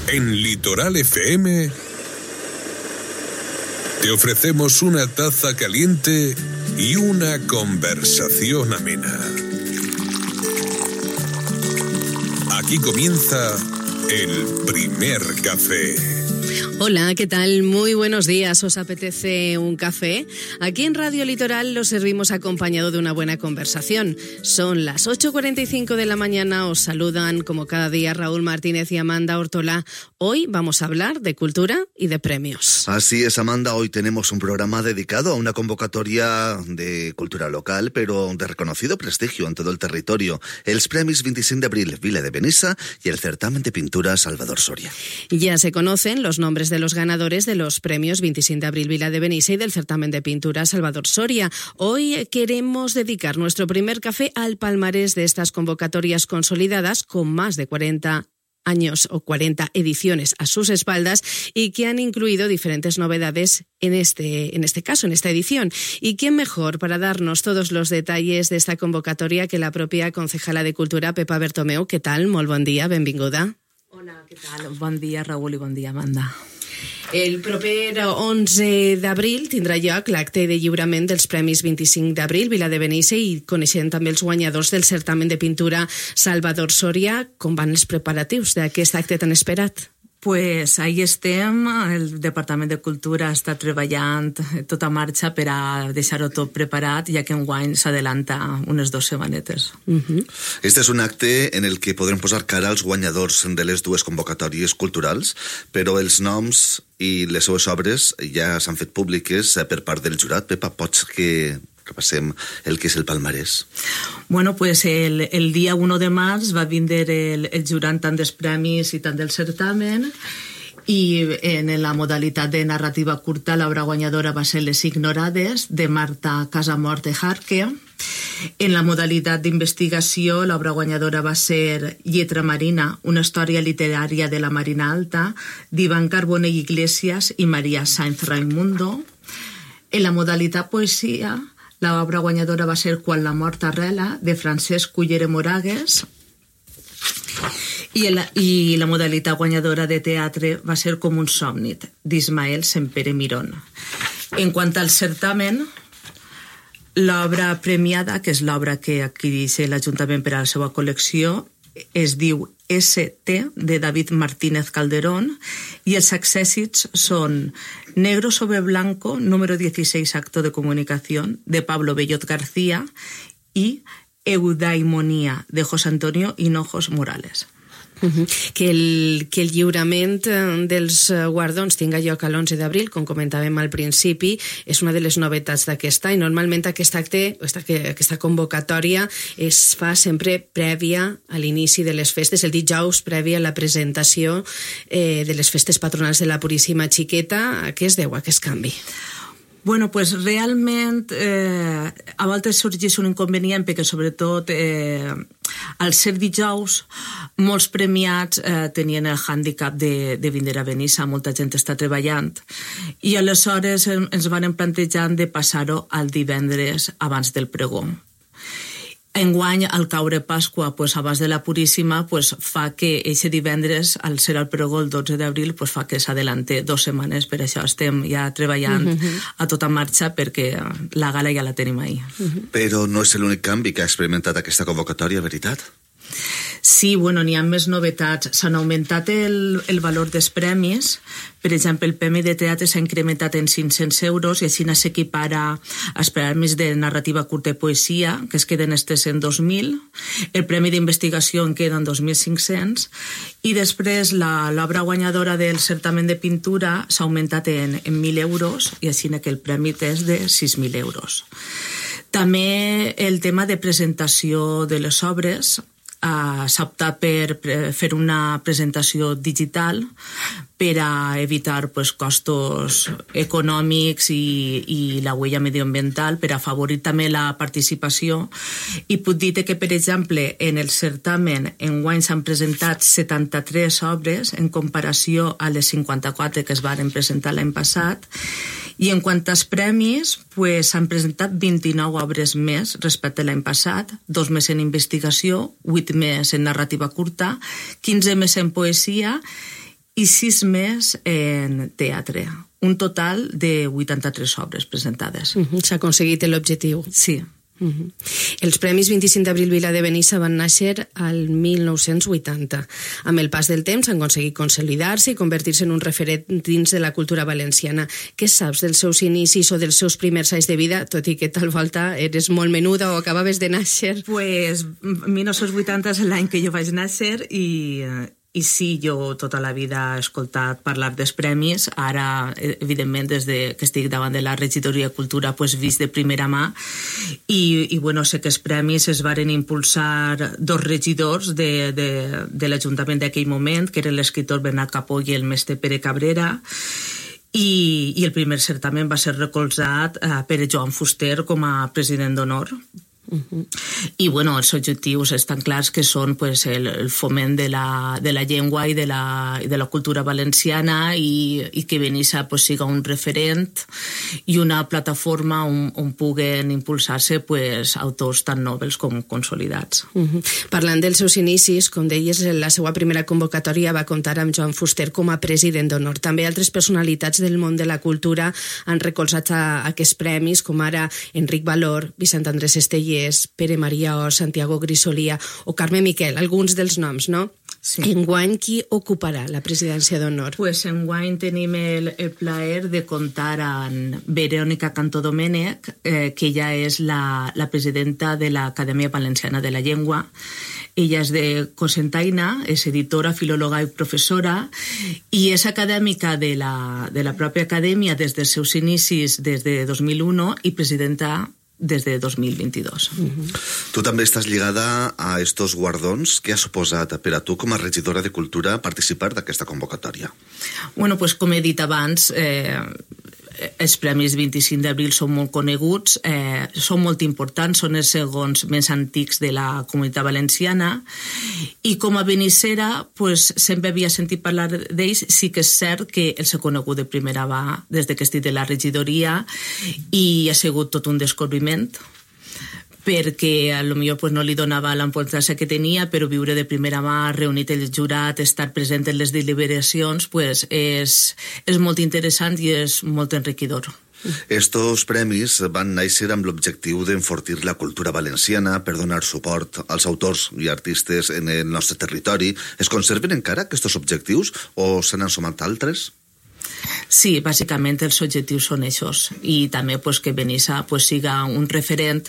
En Litoral FM te ofrecemos una taza caliente y una conversación amena. Aquí comienza el primer café. Hola, ¿qué tal? Muy buenos días. ¿Os apetece un café? Aquí en Radio Litoral lo servimos acompañado de una buena conversación. Son las 8:45 de la mañana. Os saludan como cada día Raúl Martínez y Amanda Ortolá. Hoy vamos a hablar de cultura y de premios. Así es, Amanda. Hoy tenemos un programa dedicado a una convocatoria de cultura local, pero de reconocido prestigio en todo el territorio. Els Premis 25 d'abril Vila de Benissa y el certamen de pintura Salvador Soria. Ya se conocen los nombres de los ganadores de los premios 25 de abril Vila de Benissa y del certamen de pintura Salvador Soria. Hoy queremos dedicar nuestro primer café al palmarés de estas convocatorias consolidadas con más de 40 años o 40 ediciones a sus espaldas y que han incluido diferentes novedades en este caso, en esta edición. ¿Y quién mejor para darnos todos los detalles de esta convocatoria que la propia concejala de Cultura, Pepa Bertomeu? ¿Qué tal? Molt bon dia, benvinguda. Hola, què tal? Bon dia, Raül, i bon dia, Amanda. El proper 11 d'abril tindrà lloc l'acte de lliurament dels Premis 25 d'abril Vila de Benissa i coneixent també els guanyadors del certamen de pintura Salvador Soria. Com van els preparatius d'aquest acte tan esperat? Pues ahí estem, el Departament de Cultura està treballant tota marxa per a deixar-ho tot preparat, ja que enguany s'adelanta unes 2 setmanetes. Este és un acte en el que podrem posar cara als guanyadors de les dues convocatòries culturals, però els noms i les seues obres ja s'han fet públiques per part del jurat. Pepa, pots que repassem el que és el palmarès? Bueno, pues el dia 1 de març va vindre el jurat tant dels premis i tant del certamen, i en la modalitat de narrativa curta l'obra guanyadora va ser Les Ignorades, de Marta Casamort de Jarque. En la modalitat d'investigació l'obra guanyadora va ser Lletra Marina, una història literària de la Marina Alta, d'Ivan Carbonell Iglesias i Maria Sainz Raimundo. En la modalitat poesia l'obra guanyadora va ser Quan la mort arrela, de Francesc Cullera Moragues, i la modalitat guanyadora de teatre va ser Com un somni, d'Ismael Sempere Mirón. En quant al certamen, l'obra premiada, que és l'obra que adquireix l'Ajuntament per a la seva col·lecció, es diu ST, de David Martínez Calderón, i els accèssits són Negro sobre Blanco, número 16, acto de comunicación, de Pablo Bellot García, i Eudaimonía, de José Antonio Hinojos Morales. Que el lliurament dels guardons tinga lloc l'11 d'abril, com comentàvem al principi, és una de les novetats d'aquest any. Normalment aquest acte, aquesta convocatòria es fa sempre prèvia a l'inici de les festes, el dijous previ a la presentació de les festes patronals de la Puríssima Xiqueta. A què es deu aquest canvi? Bueno, pues realment a voltes sorgeix un inconvenient perquè sobretot al ser dijous molts premiats tenien el hàndicap de vindre a Benissa, molta gent està treballant i aleshores ens van plantejar de passar-ho al divendres abans del pregó. Enguany, al caure Pasqua, abans de la Puríssima, fa que aquest divendres, al ser el pregó el 12 d'abril, fa que s'adelante 2 setmanes, per això estem ja treballant a tota marxa perquè la gala ja la tenim ahir. Però no és l'únic canvi que ha experimentat aquesta convocatòria, veritat? Sí, bueno, n'hi ha més novetats. S'han augmentat el valor dels premis. Per exemple, el premi de teatre s'ha incrementat en 500 euros i així s'equipara als premis de narrativa curta i poesia, que es queden estes en 2.000. El premi d'investigació en queden 2.500. I després l'obra guanyadora del certamen de pintura s'ha augmentat en 1.000 euros i així que el premi és de 6.000 euros. També el tema de presentació de les obres s'ha optat per fer una presentació digital per a evitar costos econòmics i la huella medioambiental, per a afavorir també la participació. I puc dir que, per exemple, en el certamen enguany s'han presentat 73 obres en comparació a les 54 que es van presentar l'any passat, i en quant als premis s'han presentat 29 obres més respecte a l'any passat, 2 més en investigació, 8 més en narrativa curta, 15 més en poesia i 6 més en teatre. Un total de 83 obres presentades. S'ha aconseguit l'objectiu. Sí. Els Premis 25 d'Abril Vila de Benissa van néixer al 1980. Amb el pas del temps han aconseguit consolidar-se i convertir-se en un referent dins de la cultura valenciana. Què saps dels seus inicis o dels seus primers anys de vida, tot i que tal volta eres molt menuda o acabaves de néixer? Pues 1980 és l'any que jo vaig néixer i sí, jo tota la vida he escoltat parlar dels premis. Ara, evidentment, des que estic davant de la regidoria de Cultura, pues, vist de primera mà. I bueno, sé que els premis es varen impulsar 2 regidors de l'Ajuntament d'aquell moment, que eren l'escriptor Bernat Capó i el mestre Pere Cabrera. I el primer certamen va ser recolzat per Joan Fuster com a president d'honor. I bueno, els objectius estan clars, que són pues, el foment de la llengua i de la cultura valenciana i que Benissa pues, siga un referent i una plataforma on puguen impulsar-se pues, autors tan nobles com consolidats. Parlant dels seus inicis, com deies, la seva primera convocatòria va comptar amb Joan Fuster com a president d'honor. També altres personalitats del món de la cultura han recolzat aquests premis, com ara Enric Valor, Vicent Andrés Esteller, Pere Maria O, Santiago Grisolia o Carme Miquel, alguns dels noms, no? Sí. Enguany, qui ocuparà la presidència d'honor? Pues enguany tenim el plaer de comptar amb Verònica Cantó Domènech, que ella és la presidenta de l'Acadèmia Valenciana de la Llengua. Ella és de Cocentaina, és editora, filòloga i professora, i és acadèmica de la pròpia acadèmia des dels seus inicis, des de 2001, i presidenta des de 2022. Tu també estàs lligada a estos guardons. Què ha suposat per a tu com a regidora de Cultura participar d'aquesta convocatòria? Bueno, pues, com he dit abans, els Premis 25 d'Abril són molt coneguts, són molt importants, són els segons més antics de la Comunitat Valenciana, i com a benissera pues, sempre havia sentit parlar d'ells. Sí que és cert que els he conegut de primera mà des que estic de la regidoria i ha sigut tot un descobriment, perquè potser pues, no li donava l'importància que tenia, però viure de primera mà, reunit el jurat, estar present en les deliberacions, pues, és molt interessant i és molt enriquidor. Estos premis van néixer amb l'objectiu d'enfortir la cultura valenciana per donar suport als autors i artistes en el nostre territori. Es conserven encara aquests objectius o se n'han sumat altres? Sí, bàsicament els objectius són aquests, i també pues, que Benissa pues, siga un referent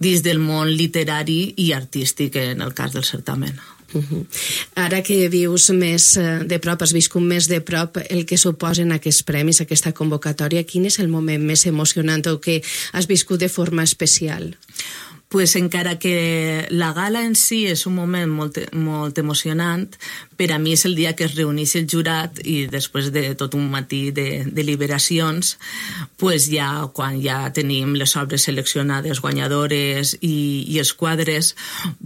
dins del món literari i artístic en el cas del certamen. Ara que vius més de prop, has viscut més de prop el que suposen aquests premis, aquesta convocatòria, quin és el moment més emocionant o que has viscut de forma especial? Pues encara que la gala en si és un moment molt emocionant, per a mi és el dia que es reuneix el jurat i després de tot un matí de deliberacions, pues ja, quan ja tenim les obres seleccionades, guanyadores i els quadres,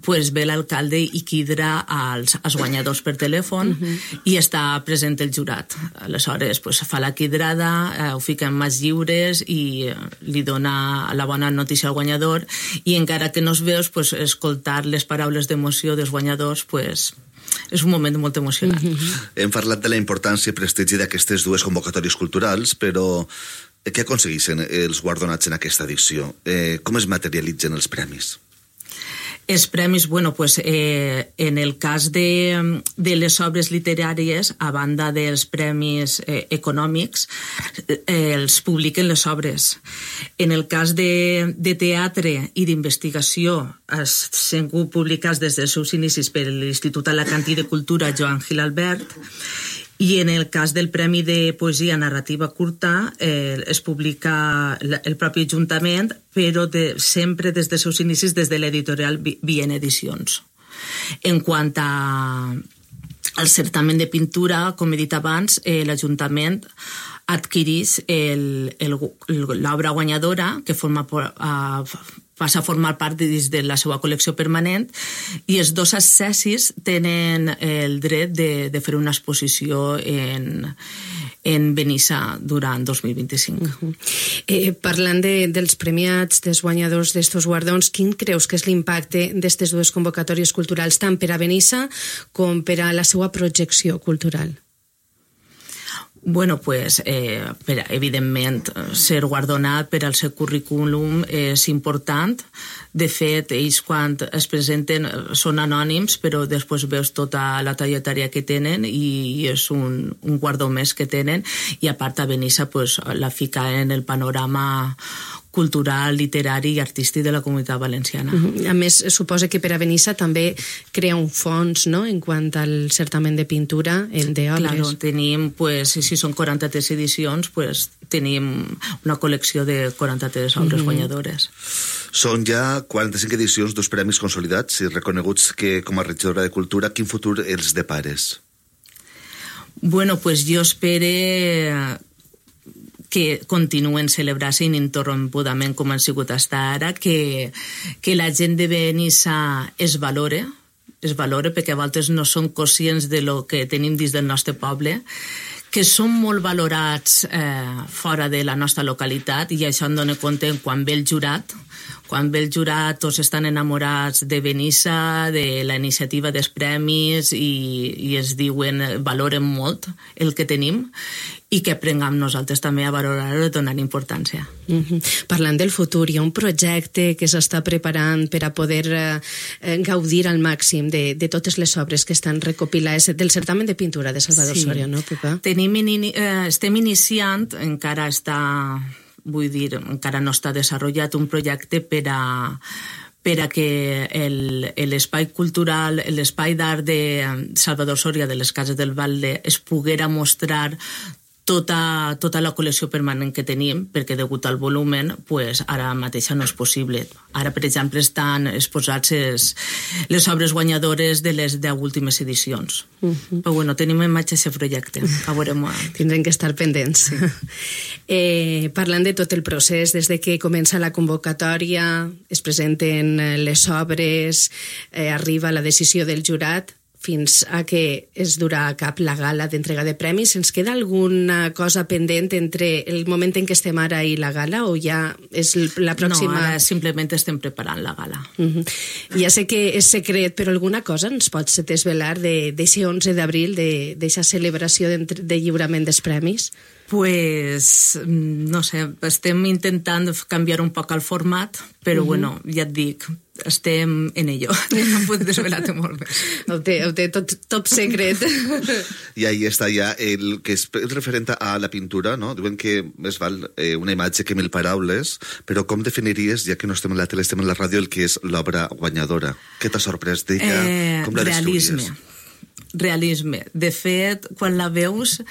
pues ve l'alcalde i crida als guanyadors per telèfon i està present el jurat. Aleshores pues, fa la cridrada, ho fica en mans lliures i li dona la bona notícia al guanyador, i encara que no es veus, pues, escoltar les paraules d'emoció dels guanyadors pues, és un moment molt emocionant. Hem parlat de la importància i prestigi d'aquestes dues convocatòries culturals, però què aconsegueixen els guardonats en aquesta edició? Com es materialitzen els premis? Els premis, bueno, pues, en el cas de les obres literàries, a banda dels premis econòmics, els publiquen les obres. En el cas de teatre i d'investigació, s'han publicat des dels seus inicis per l'Institut Alacantí de Cultura Joan Gil Albert, i en el cas del Premi de Poesia Narrativa Curta es publica el propi Ajuntament, però sempre des dels seus inicis des de l'editorial Vien Edicions. En quant al certamen de pintura, com he dit abans, l'Ajuntament adquireix l'obra guanyadora, que passa a formar part de la seva col·lecció permanent, i els 2 accessis tenen el dret de fer una exposició en Benissa durant 2025. Parlant dels premiats, dels guanyadors d'estos guardons, quin creus que és l'impacte d'aquestes dues convocatòries culturals tant per a Benissa com per a la seva projecció cultural? Bueno, pues, evidentment, ser guardonat per al seu currículum és important. De fet, ells quan es presenten són anònims, però després veus tota la trajectòria que tenen i és un guardó més que tenen. I a part, a Benissa pues, la fica en el panorama cultural, literari i artístic de la Comunitat Valenciana. A més, suposa que per a Benissa també crea un fons, no?, en quant al certamen de pintura d'obres. Claro, tenim, pues, si són 43 edicions, pues, tenim una col·lecció de 43 obres guanyadores. Són ja 45 edicions, 2 premis consolidats i reconeguts que com a regidora de Cultura, quin futur els depares? Bueno, pues jo espero que continuen celebrant-se ininterrompudament com han sigut fins ara, que la gent de Benissa es valore perquè a vegades no som conscients de lo que tenim dins del nostre poble, que són molt valorats fora de la nostra localitat i això em dona compte quan ve el jurat. Quan ve el jurat tots estan enamorats de Benissa, de la iniciativa dels premis i es diuen, valoren molt el que tenim i que aprenguem nosaltres també a valorar-ho i donar importància. Parlant del futur, hi ha un projecte que s'està preparant per a poder gaudir al màxim de totes les obres que estan recopilades del certamen de pintura de Salvador Soria, no, Pepa? Estem iniciant, encara no està desenvolupat un projecte per a que l'espai cultural, l'espai d'art de Salvador Soria de les Cases del Valde es poguera mostrar tota la col·lecció permanent que tenim, perquè degut al volumen, pues, ara mateix no és possible. Ara, per exemple, estan exposats les obres guanyadores de les 10 últimes edicions. Però bueno, tenim en marxa aquest projecte. Tindrem que estar pendents. Parlant de tot el procés, des de que comença la convocatòria, es presenten les obres, arriba la decisió del jurat, fins a que es durà a cap la gala d'entrega de premis. Ens queda alguna cosa pendent entre el moment en què estem ara i la gala o ja és la pròxima? No, ara simplement estem preparant la gala. Ja sé que és secret, però alguna cosa ens pots desvelar d'aquest 11 d'abril, d'aquesta celebració de lliurament dels premis? Pues, no sé, estem intentant canviar un poc el format, però bueno, ja et dic, estem en ello. No em puc desvelar-te molt més. Ho té tot secret. I ahí està ja el que és referent a la pintura, no? Diuen que més val una imatge que 1000 paraules, però com definiries, ja que no estem en la tele, estem en la ràdio, el que és l'obra guanyadora? Què t'ha sorprès d'ella? Com la descriuries? Realisme. De fet, quan la veus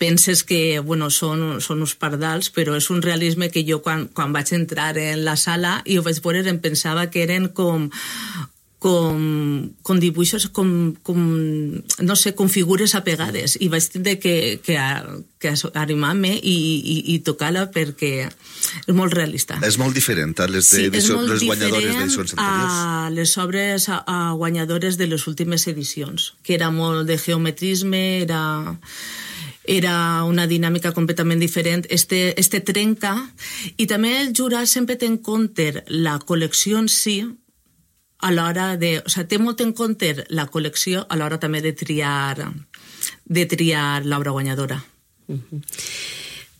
penses que bueno, són uns pardals, però és un realisme que jo quan vaig entrar en la sala i ho vaig veure em pensava que eren com dibuixos, no sé, com figures apegades, i vaig tindre que animar-me i tocar-la perquè és molt realista. És molt diferent a les guanyadores d'edicions anteriors? A les obres guanyadores de les últimes edicions, que era molt de geometrisme, era una dinàmica completament diferent. Este trenca, i també el jurat sempre té en compte la col·lecció en si, a l'hora de... O sigui, té molt en compte la col·lecció a l'hora també de triar l'obra guanyadora.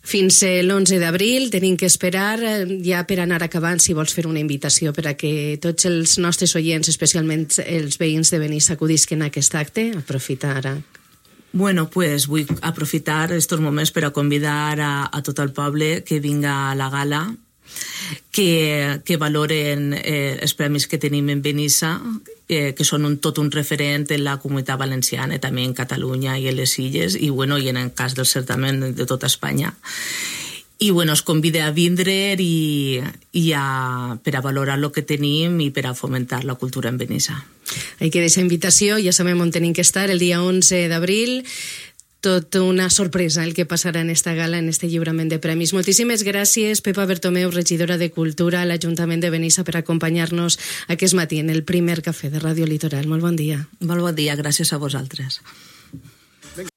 Fins l'11 d'abril tenim que esperar, ja per anar acabant, si vols fer una invitació per a que tots els nostres oients, especialment els veïns de Benissa, acudisquen a aquest acte, aprofitar ara. Bueno, pues vull aprofitar estos moments per a convidar a tot el poble que vinga a la gala, que valoren els premis que tenim en Benissa, que són tot un referent en la Comunitat Valenciana, també en Catalunya i en les Illes, i bueno, i en el cas del certamen de tota Espanya. I bueno, es convida a vindre per a valorar el que tenim i per a fomentar la cultura en Benissa. Ahí queda esa invitació, ja sabem on tenim que estar el dia 11 d'abril. Tot una sorpresa el que passarà en esta gala, en este lliurament de premis. Moltíssimes gràcies, Pepa Bertomeu, regidora de Cultura a l'Ajuntament de Benissa, per acompanyar-nos aquest matí en el primer cafè de Ràdio Litoral. Molt bon dia. Molt bon dia, gràcies a vosaltres.